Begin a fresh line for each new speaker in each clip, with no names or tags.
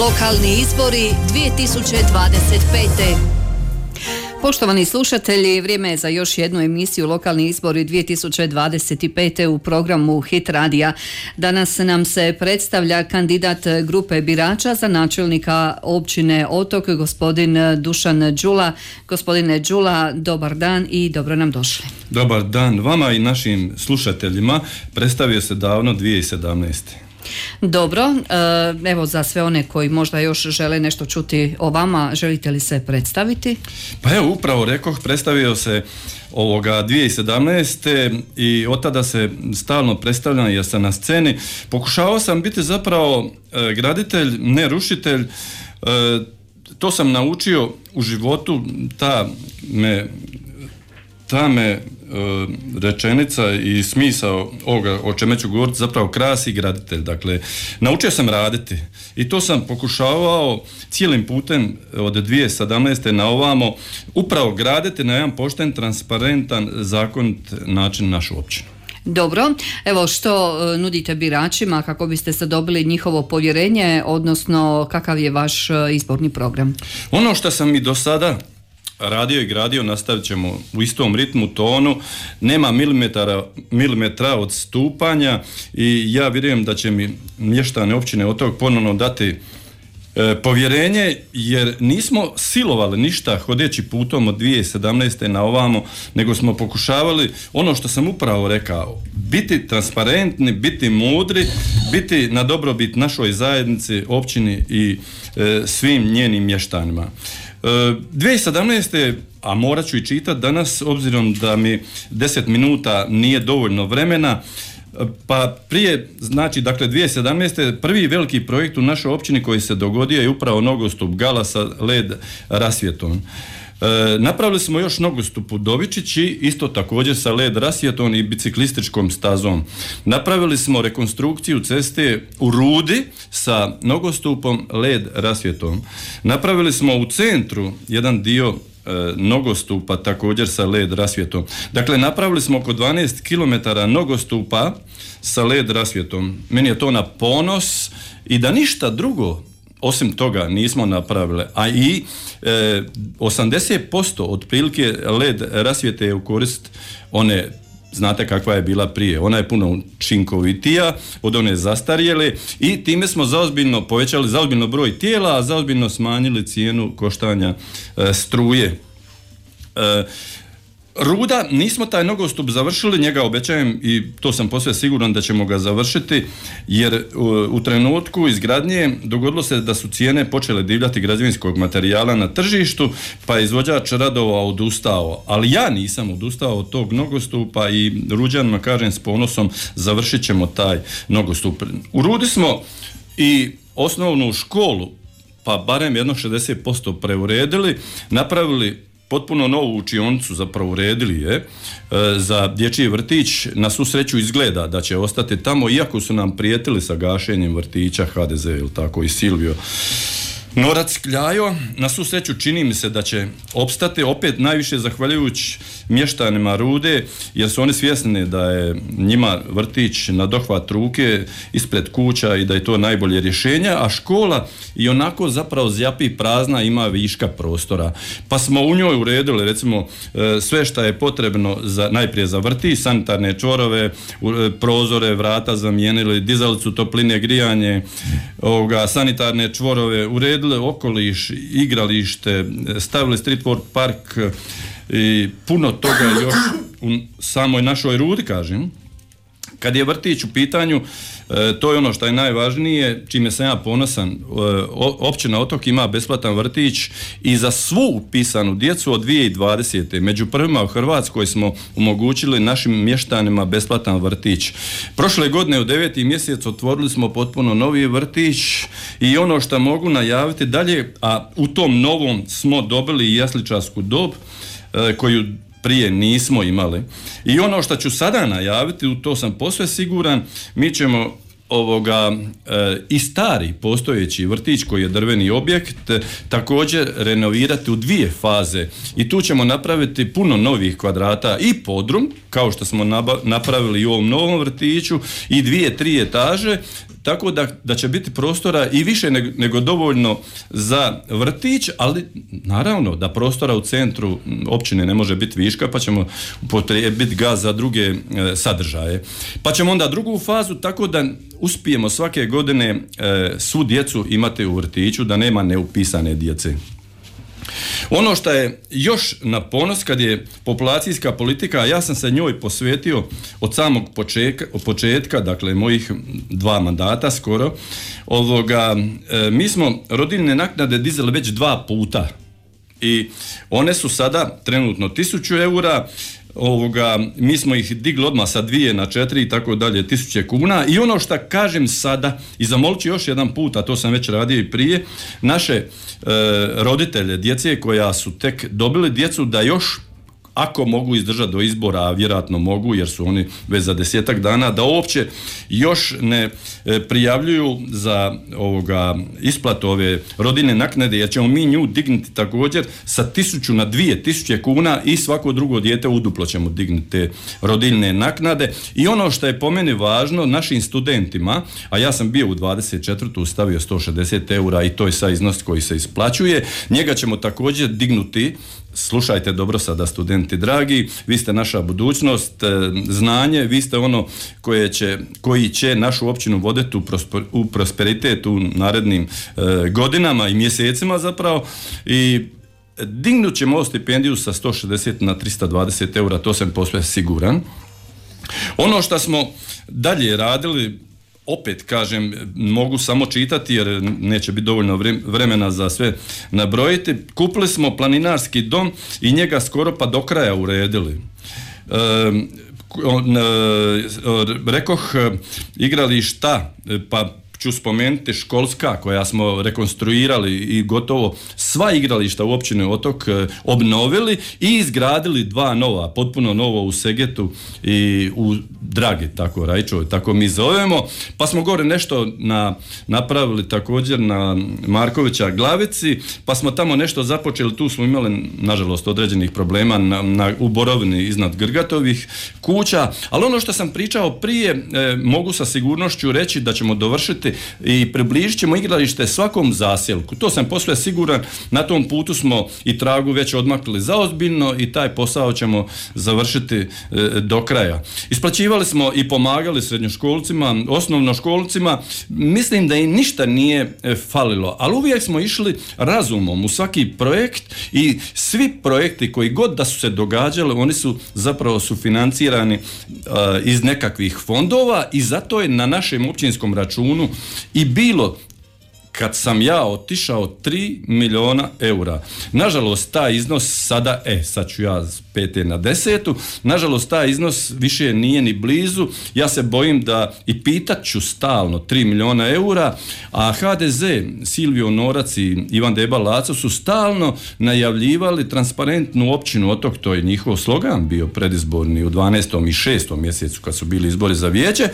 Lokalni izbori 2025. Poštovani slušatelji, vrijeme je za još jednu emisiju Lokalni izbori 2025. u programu Hit radija. Danas nam se predstavlja kandidat grupe birača za načelnika općine Otok, gospodin Dušan Đula. Gospodine Đula, dobar dan i dobro nam došli.
Dobar dan vama i našim slušateljima. Predstavio se davno 2017.
Dobro, evo za sve one koji možda još žele nešto čuti o vama, želite li se predstaviti?
Pa evo, upravo rekoh, predstavio se 2017. i od tada se stalno predstavljam jer sam na sceni. Pokušavao sam biti zapravo graditelj, ne rušitelj. To sam naučio u životu, ta me rečenica i smisao ovoga o čemu ću govoriti zapravo krasi graditelj. Dakle, naučio sam raditi i to sam pokušavao cijelim putem od 2017. na ovamo upravo graditi na jedan pošten, transparentan, zakonit način našu općinu.
Dobro, evo što nudite biračima kako biste se dobili njihovo povjerenje, odnosno kakav je vaš izborni program?
Ono što sam i do sada radio i gradio, nastavit ćemo u istom ritmu, tonu, nema milimetra odstupanja i ja vjerujem da će mi mještani općine Otok ponovno dati povjerenje, jer nismo silovali ništa hodeći putom od 2017. na ovamo, nego smo pokušavali ono što sam upravo rekao, biti transparentni, biti mudri, biti na dobrobit našoj zajednici, općini i svim njenim mještanima. 2017. a morat ću i čitati danas, obzirom da mi 10 minuta nije dovoljno vremena, pa prije, znači, dakle 2017. prvi veliki projekt u našoj općini koji se dogodio je upravo nogostup Gala sa LED rasvjetom. Napravili smo još nogostup u Dovičići, isto također sa LED rasvjetom i biciklističkom stazom. Napravili smo rekonstrukciju ceste u Rudi sa nogostupom LED rasvjetom. Napravili smo u centru jedan dio nogostupa također sa LED rasvjetom. Dakle, napravili smo oko 12 km nogostupa sa LED rasvjetom. Meni je to na ponos i da ništa drugo osim toga nismo napravili, a i 80% otprilike LED rasvjete je u korist one, znate kakva je bila prije, ona je puno učinkovitija od one zastarjele i time smo zaozbiljno povećali zaozbiljno broj tijela, a zaozbiljno smanjili cijenu koštanja struje. Ruda, nismo taj nogostup završili, njega obećajem i to sam posve siguran da ćemo ga završiti, jer u trenutku izgradnje dogodilo se da su cijene počele divljati građevinskog materijala na tržištu, pa je izvođač radova odustao, ali ja nisam odustao od tog nogostupa i Ruđanima kažem s ponosom završit ćemo taj nogostup. U Rudi smo i osnovnu školu, pa barem jedno 60% preuredili, napravili potpuno novu učionicu, zapravo uredili je za dječji vrtić. Na svu sreću izgleda da će ostati tamo, iako su nam prijetili sa gašenjem vrtića HDZ, ili tako, i Silvio Norac Kljajo. Na svu sreću čini mi se da će opstati, opet najviše zahvaljujući mještanima Rude, jer su oni svjesni da je njima vrtić na dohvat ruke ispred kuća i da je to najbolje rješenje, a škola i onako zapravo zjapi prazna, ima viška prostora. Pa smo u njoj uredili recimo sve što je potrebno najprije za vrtić, sanitarne čvorove, prozore, vrata zamijenili, dizalicu topline, grijanje, sanitarne čvorove, uredili okoliš, igralište, stavili street work park i puno toga još u samoj našoj Rudi, kažem. Kad je vrtić u pitanju, to je ono što je najvažnije, čime sam ja ponosan. Općina Otok ima besplatan vrtić i za svu upisanu djecu od 2020. Među prvima u Hrvatskoj smo omogućili našim mještanima besplatan vrtić. Prošle godine u 9. mjesec otvorili smo potpuno novi vrtić i ono što mogu najaviti dalje, a u tom novom smo dobili i jasličarsku dob koju prije nismo imali. I ono što ću sada najaviti, u to sam posve siguran, mi ćemo i stari postojeći vrtić koji je drveni objekt također renovirati u 2 faze i tu ćemo napraviti puno novih kvadrata i podrum, kao što smo napravili i u ovom novom vrtiću, i 2-3 etaže, tako da će biti prostora i više nego dovoljno za vrtić, ali naravno da prostora u centru općine ne može biti viška, pa ćemo upotrijebiti ga za druge sadržaje. Pa ćemo onda drugu fazu, tako da uspijemo svake godine svu djecu imati u vrtiću, da nema neupisane djece. Ono što je još na ponos kad je populacijska politika, ja sam se njoj posvetio od samog početka, dakle mojih 2 mandata skoro, mi smo rodiljne naknade dizali već 2 puta i one su sada trenutno 1000 eura, mi smo ih digli odmah sa 2 na 4 i tako dalje, 1000 kuna. I ono što kažem sada, i zamolit ću još jedan put, a to sam već radio i prije, naše roditelje djece koja su tek dobili djecu, da još ako mogu izdržati do izbora, a vjerojatno mogu jer su oni već za 10-ak dana, da uopće još ne prijavljuju za isplatu ove rodiljne naknade, jer ćemo mi nju dignuti također sa 1000 na 2000 kuna i svako drugo dijete uduplo ćemo dignuti te rodiljne naknade. I ono što je po meni važno, našim studentima, a ja sam bio u 24. stavio 160 eura i to je sad iznos koji se isplaćuje, njega ćemo također dignuti. Slušajte dobro sada, studenti dragi, vi ste naša budućnost, znanje, vi ste ono koji će našu općinu voditi u prosperitet u narednim godinama i mjesecima zapravo, i dignut ćemo stipendiju sa 160 na 320 eura, to sam posve siguran. Ono što smo dalje radili, opet kažem, mogu samo čitati jer neće biti dovoljno vremena za sve nabrojiti. Kupili smo planinarski dom i njega skoro pa do kraja uredili. Rekoh igrališta, pa ću spomenuti školska koja smo rekonstruirali i gotovo sva igrališta u općini Otok obnovili i izgradili 2 nova, potpuno novo u Segetu i u Dragi, tako Rajčovoj, tako mi zovemo. Pa smo gore nešto napravili također na Markovića Glavici, pa smo tamo nešto započeli, tu smo imali nažalost određenih problema u Borovini iznad Grgatovih kuća, ali ono što sam pričao prije, mogu sa sigurnošću reći da ćemo dovršiti i približit ćemo igralište svakom zaselku. To sam posve siguran, na tom putu smo i tragu već odmakli zaozbiljno i taj posao ćemo završiti do kraja. Isplaćivali smo i pomagali srednjoškolcima, osnovnoškolcima, mislim da im ništa nije falilo, ali uvijek smo išli razumom u svaki projekt i svi projekti koji god da su se događali, oni su zapravo sufinancirani iz nekakvih fondova i zato je na našem općinskom računu i bilo, kad sam ja otišao, 3 milijuna eura. Nažalost, taj iznos sada, sad ću ja s 5. na 10. Nažalost, taj iznos više nije ni blizu. Ja se bojim da i pitat ću stalno 3 milijuna eura, a HDZ, Silvio Norac i Ivan Deba Laco su stalno najavljivali transparentnu općinu Otok, to je njihov slogan bio predizborni u 12. i 6. mjesecu kad su bili izbori za vijeće.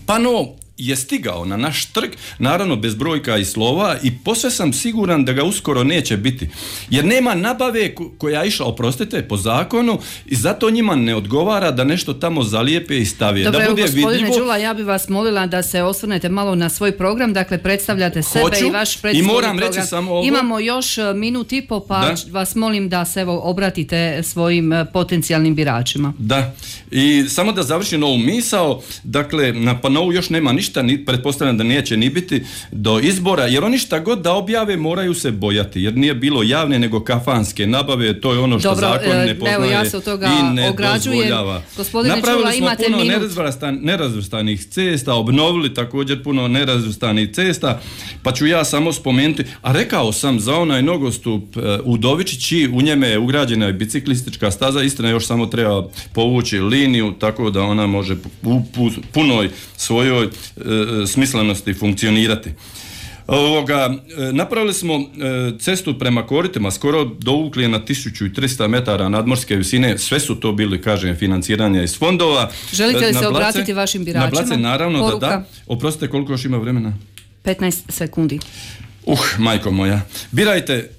Pa no, je stigao na naš trg, naravno bez brojka i slova, i posve sam siguran da ga uskoro neće biti. Jer nema nabave koja je išla, oprostite, po zakonu, i zato njima ne odgovara da nešto tamo zalijepe i stave.
Dobro,
da bude
gospodine
vidljivo.
Đula, ja bih vas molila da se osvrnete malo na svoj program, dakle predstavljate sebe i vaš predstavljeni program.
I moram reći samo ovo.
Imamo još minut i po, pa vas molim da se obratite svojim potencijalnim biračima.
Da, i samo da završim ovu misao, dakle, na Panovu još nema ništa, pretpostavljam da neće ni biti do izbora, jer oni šta god da objave moraju se bojati, jer nije bilo javne nego kafanske nabave, to je ono što zakon ne poznaje
ja se od toga
i ne dozvoljava. Napravili smo puno nerazvrstanih cesta, obnovili također puno nerazvrstanih cesta, pa ću ja samo spomenuti, a rekao sam za onaj nogostup u Dovičići, u njeme je ugrađena i biciklistička staza, istina još samo treba povući liniju, tako da ona može u punoj svojoj smislenosti funkcionirati. Napravili smo cestu prema koritima, skoro dovukli je na 1300 metara nadmorske visine, sve su to bili, kažem, financiranja iz fondova.
Želite li se obratiti vašim biračima?
Na Blace, naravno. Poruka. Da. Oprostite, koliko još ima vremena?
15 sekundi.
Majko moja. Birajte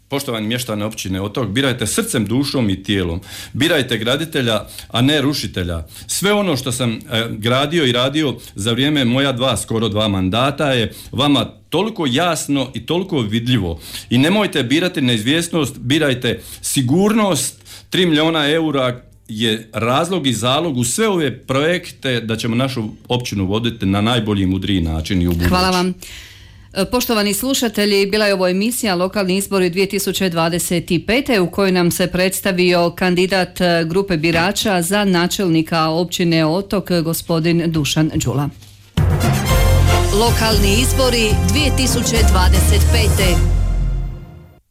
poštovani mještani općine Otok, birajte srcem, dušom i tijelom. Birajte graditelja, a ne rušitelja. Sve ono što sam gradio i radio za vrijeme moja skoro dva mandata je vama toliko jasno i toliko vidljivo. I nemojte birati neizvjesnost, birajte sigurnost. 3 milijuna eura je razlog i zalog u sve ove projekte da ćemo našu općinu voditi na najbolji i mudriji način i u budući.
Hvala vam. Poštovani slušatelji, bila je ovo emisija Lokalni izbori 2025. u kojoj nam se predstavio kandidat grupe birača za načelnika općine Otok, gospodin Dušan Đula.
Lokalni izbori 2025.